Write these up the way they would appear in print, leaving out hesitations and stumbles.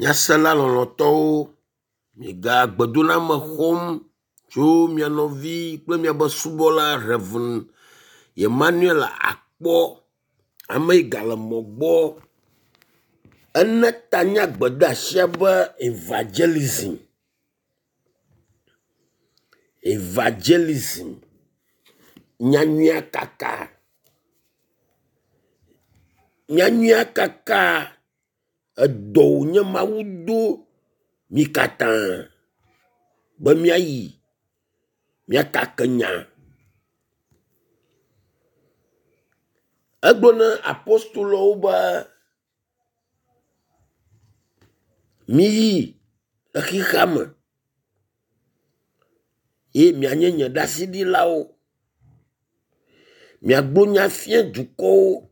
Nyasela lɔlɔ̃tɔwo, miega gbedoname xɔm tso mia nɔvi kple miaƒe subɔla Rev. Emmanuel Akpɔ. Ame yi gale mɔ gbɔ. Ene ta na gbedeasia be evangelism. Evangelism. Nyanyuia kaka. Nyanyuia kaka edɔ wònye Mawu do mí katã be míayi míakake nya. Egblɔ na apostoloawo be miyi le xexea me ye mianye nye ɖaseɖilawo. Miagblɔ nya fia dukɔwo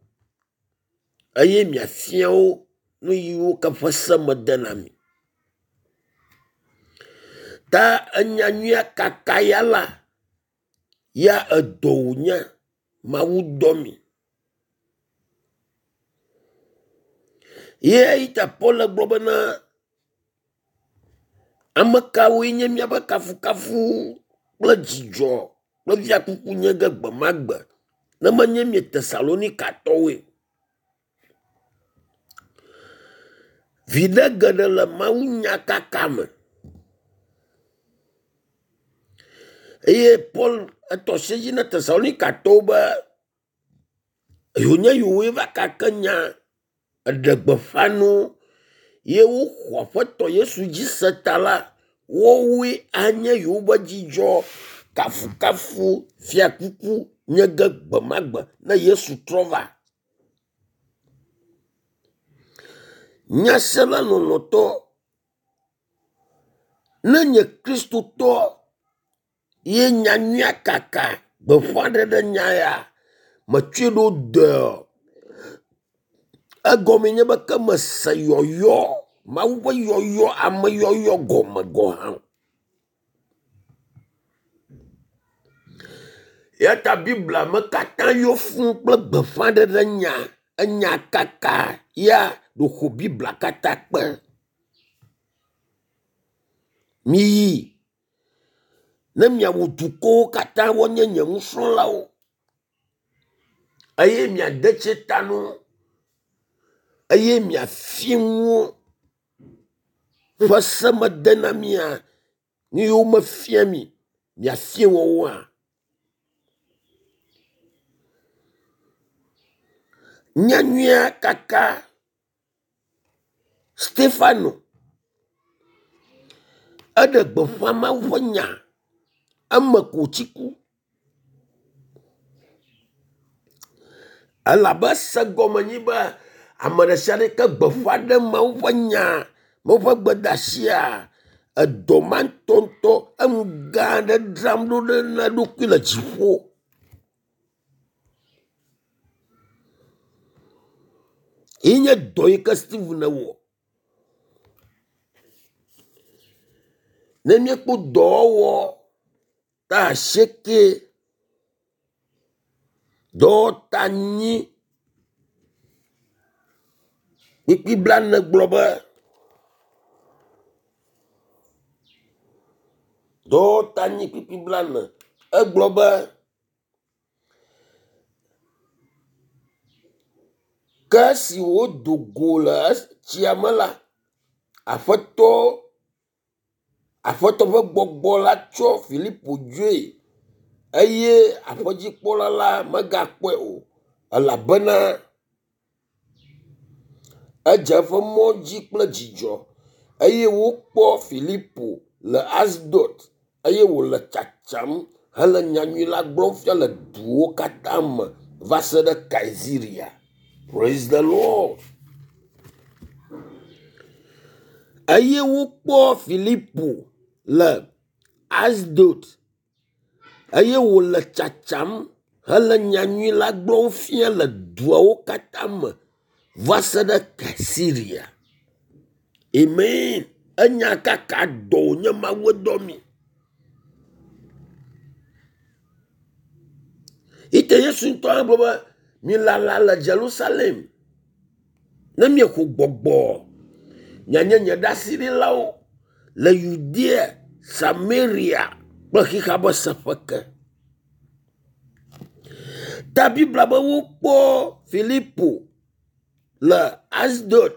eye miafia wo nu yiwo ke ƒe se mede na mi. Ta enyanyuia kaka ya la, ya edɔ wònye Mawu dɔ mi. Ye eyi ta Paul gblɔ bena ame kawoe nye míaƒe kafukafu kple dzidzɔ kple fiakuku nye ge gbe ma gbe ne menye mi Tesalonikatɔwoe. Viɖe geɖe le mawunyakaka me. Eye Paul etɔ asi edzi na Tesalonikatɔwo be yewonye yewoe va kake nya eɖe gbeƒã no ye woxɔ Aƒetɔ Yesu dzi se ta la, woawoe anye yewoƒe dzidzɔ, kafukafu, fiakuku nye ge gbe ma gbe ne Yesu trɔ va. Nyasela lɔlɔ̃tɔ, ne nye Kristotɔ ye nyanyuia kaka gbeƒãɖeɖe nya ya metsɔe ɖo dɔe. Egɔme nye be ke mese yɔyɔ, Mawu ƒe yɔyɔ, ameyɔyɔ gɔme gɔ hã. Eya ta Biblia me katã yɔ fũu kple gbeƒãɖeɖe nya, enya kaka ya ɖo Biblia katã kpe. Miyi ne miawɔ dukɔwo katã woanye nye nusrɔ̃lawo eye miade tsi ta no eye miafia nu wo ƒe se mede na mia nu yiwo mefia mi miafia woawoa. Nyanyuia kaka Stefano eɖe gbeƒã Mawu ƒe nya eme ko wòtsi ku. Elabe ese gɔme nyi be ame ɖe sia ɖe yi ke gbeƒã ɖem Mawu ƒe nya, Mawu ƒe gbedeasia, edɔ ma ŋutɔŋutɔ enu gã aɖe dzram ɖo ɖe na eɖokui le dziƒo. Ye nye dɔ yi ke Steven wɔ. Ne míekpɔ dɔwɔwɔ ta asieke, dɔwɔta nyi kpukpui blaene gblɔ be dɔwɔta nyi kpukpui blaene egblɔ be ke esi wodo go le tsia me la, Aƒetɔ Aƒetɔ ƒe gbɔgbɔ la tsɔ Filipo dzoe eye aƒedzikpɔla la megakpɔe o elabena edze eƒe mɔ dzi kple dzidzɔ eye wokpɔ Filipo le Asdod eye wòle tsatsam hele nyanyui la gblɔm fia le duwo katã me va se ɖe Kaisarea. Praise the Lord. Eye wokpɔ Filipo le Asdod eye wòle tsatsam hele nyanyui la gblɔm fia le duawo katã me va se ɖe Kaisarea. Amen. Enya kaka dɔ wònye Mawu dɔ mi. Ite Yesu ŋutɔ hã gblɔ be milala le Jerusalem ne miexɔ gbɔgbɔ Mianye nye ɖaseɖilawo le Yudea, Samaria kple xexea ƒe seƒe ke. Ta Biblia be wokpɔ Filipo le Asdod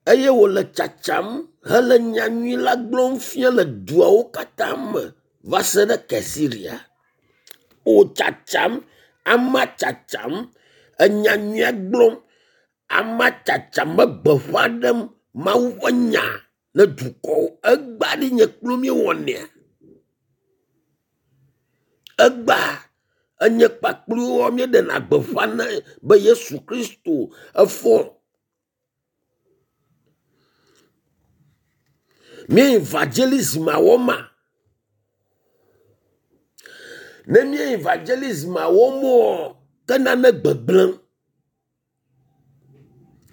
eye wòle tsatsam hele nyanyui la gblɔm fia le duawo katã me va se ɖe Kesiria. Wo tsatsam, amea tsatsam, enyanyuia gblɔm, amea tsatsam egbeƒã ɖem Mawu ƒe nya ne dukɔwo. Egbea ɖe nye kpli wò míewɔnɛa? Egbea enye kpakpli woa míeɖena gbeƒã ne be Yesu Kristo efɔ. Mí evangelism wɔma? Ne mí evangelism wɔm oa, ke nane gbegblẽm.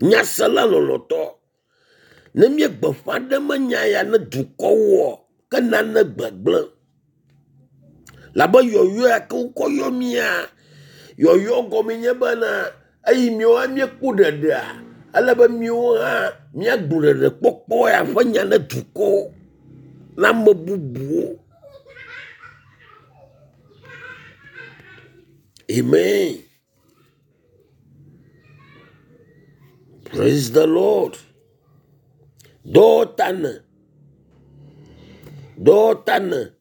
Nyasela lɔlɔ̃tɔ, ne mí gbeƒã ɖem enya ya ne dukɔwoa, ke nane gbegblẽm. Labe yɔyɔ ya ke wokɔ yɔ mía, yɔyɔ gɔme nye bena eyi míawo hã míekpɔ ɖeɖea, ele be míawo hã míagblɔ ɖeɖekpɔkpɔ ya ƒe nya ne dukɔwo, na ame bubuwo. Amen. Praise the Lord. Dɔwɔtane. Dɔwɔtane.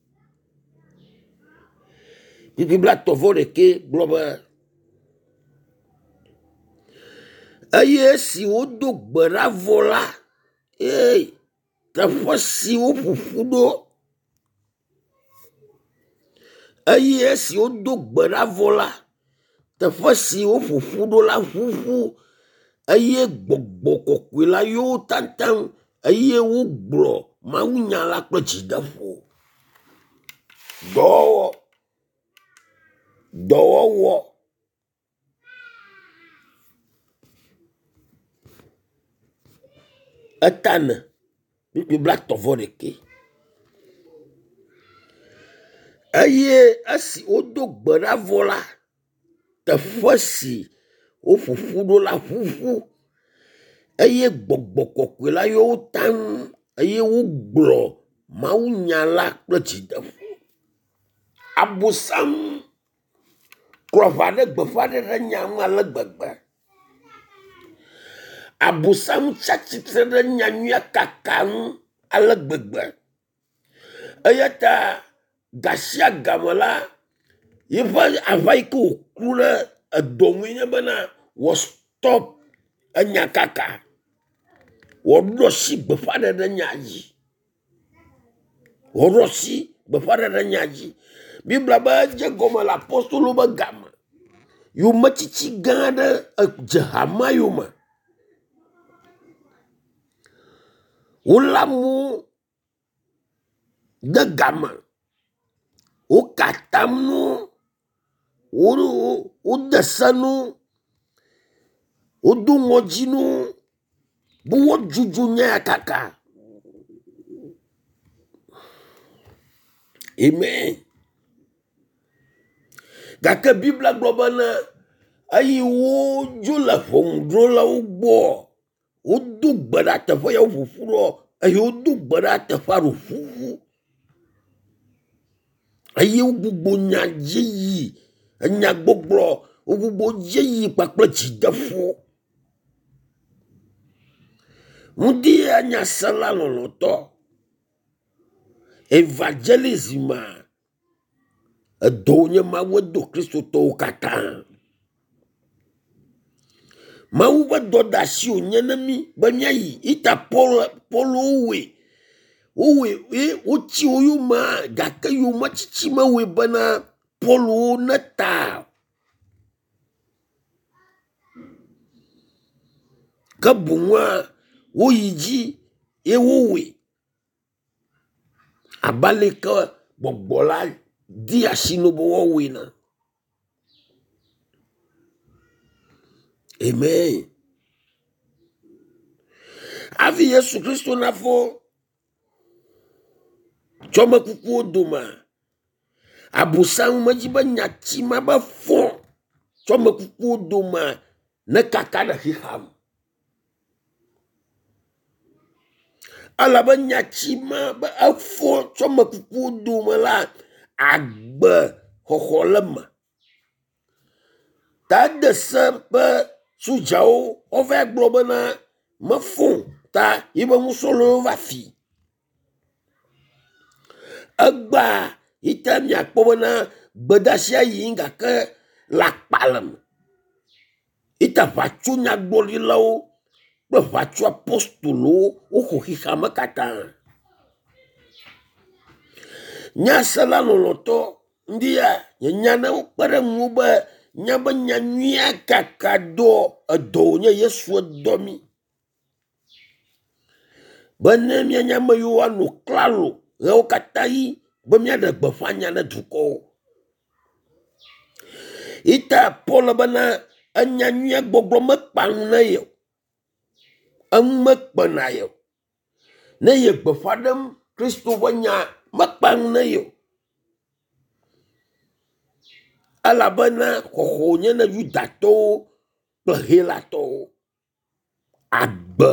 Kpukpui blaetɔ̃ vɔ ɖekɛ gblɔ be eye esi wodo gbe ɖa vɔ la, ee teƒe si woƒo ƒu ɖo eye esi wodo gbe ɖa vɔ la, teƒe si woƒo ƒu ɖo la ʋuʋu eye gbɔgbɔ kɔkɔe la yɔ wo taŋtaŋ eye wogblɔ mawunya la kple dzideƒo. Dɔwɔwɔ. Dɔwɔwɔ. Etane kpukpui blaetɔ̃ vɔ ɖekɛ. Eye esi wodo gbe ɖa vɔ la, teƒe si woƒo ƒu ɖo la ʋuʋu eye gbɔgbɔ kɔkɔe la yɔ wo taŋ eye wogblɔ mawunya la kple dzideƒo. Abosam klɔ aʋa ɖe gbeƒãɖeɖe nya ŋu ale gbegbe. Abosam tsi atsitre ɖe nyanyuia kaka ŋu ale gbegbe. Eya ta gasiagame la, yiƒe aʋa yi ke wòku ɖe edɔ ŋue nye bena wɔ stop enyakaka, wòaɖo asi gbeƒãɖeɖe nya dzi. Wòaɖo asi gbeƒãɖeɖe nya dzi. Biblia be edze gɔme le apostolo be game. Yometsitsi gã aɖe edze hamea yome. Wolé amewo de game, woka atam na wo, wode se na wo, wodo ŋɔdzi na wo be woadzudzɔ nya ya kaka. Amen. Gake Biblia gblɔ bena eyi wodzo le ʋɔnudrɔ̃lawo gbɔ, wodo gbe ɖa teƒe ya woƒo ƒu ɖoa, eye wodo gbe ɖa teƒea ɖo ʋuʋu. Eye wogbugbɔ nya dzi yi, enyagbɔgblɔ, wogbugbɔ dzi yi kpakple dzideƒo. Ŋdi ya nyasela lɔlɔ̃tɔ, evangelism edɔ wònye Mawu edo kristotɔwo katã. Mawu ƒe dɔdeasi wònye na mí be míayi ita Paul Paulo wɔe. Wowɔe ye wotsi wo yomea gake yometsitsi mewɔe bena Paulo neta o. Ke boŋua woyi dzi ye wowɔe abe ale yi ke gbɔgbɔ la di asi na wo be woawɔe ene. Amen. Hafi Yesu Kristo nafɔ tso ame kukuwo domea, Abosam medzi be nyati ma be fɔ tso ame kukuwo domea nekaka ɖe xexea me. Elabe nyati ma be efɔ tso ame kukuwo dome la, agbe xɔxɔ le eme. Ta ede se be sodzawo woava gblɔ bena mefɔ o ta yibe nusrɔ̃lawo va fi. Egbea yi ta miakpɔ bena gbedeasia yim gake le akpale me. Yi ta ʋatso nyagblɔɖilawo kple ʋatso apostolowo woxɔ xexeame katã. Nyasela lɔlɔtɔ ŋdi ya nye nya ne wokpe ɖe ŋuwò be míabe nyanyuia kaka dɔ edɔ wònye Yesu dɔ mí be ne míanye ame yiwo anɔ klalo ɣeawo katã ɣi be míaɖe gbeƒã nya ne dukɔwo. Yi ta Paul bena enya nyuia gbɔgblɔ mekpa nu na ye o. Enu mekpena ye o. Ne ye gbeƒã ɖem Kristo ƒe nya mekpa nu na ye o. Elabena xɔxɔ wònye na Yudatɔwo kple Helatɔwo. Agbe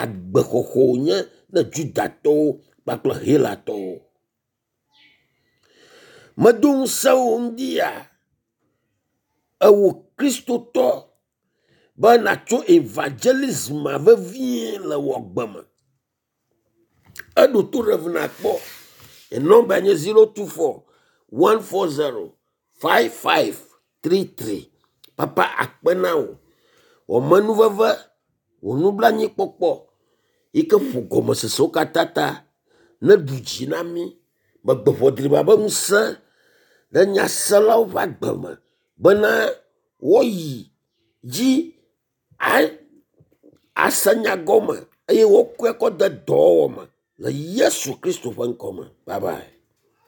agbexɔxɔ wònye na Yudatɔwo kpakple Helatɔwo. Medo ŋusẽ wò ŋdi ya ewò kristotɔ be natso evangelism vevie le wò agbe me. Eɖo to ɖe ŋu nakpɔ. Nye nɔmba nye 024 140 5533. Papa akpe na wò. Wò amenuveve, wò nublanuikpɔkpɔ yi ke ƒo gɔmesesewo katã ta neɖu dzi na mí. Megbe ʋɔ driba be ŋusẽ ɖe nyaselawo ƒe agbe me bena woayi dzi ase nya gɔme eye woakɔe kɔ de dɔwɔwɔ me le Yesu Kristo ƒe ŋkɔ me. Bye bye.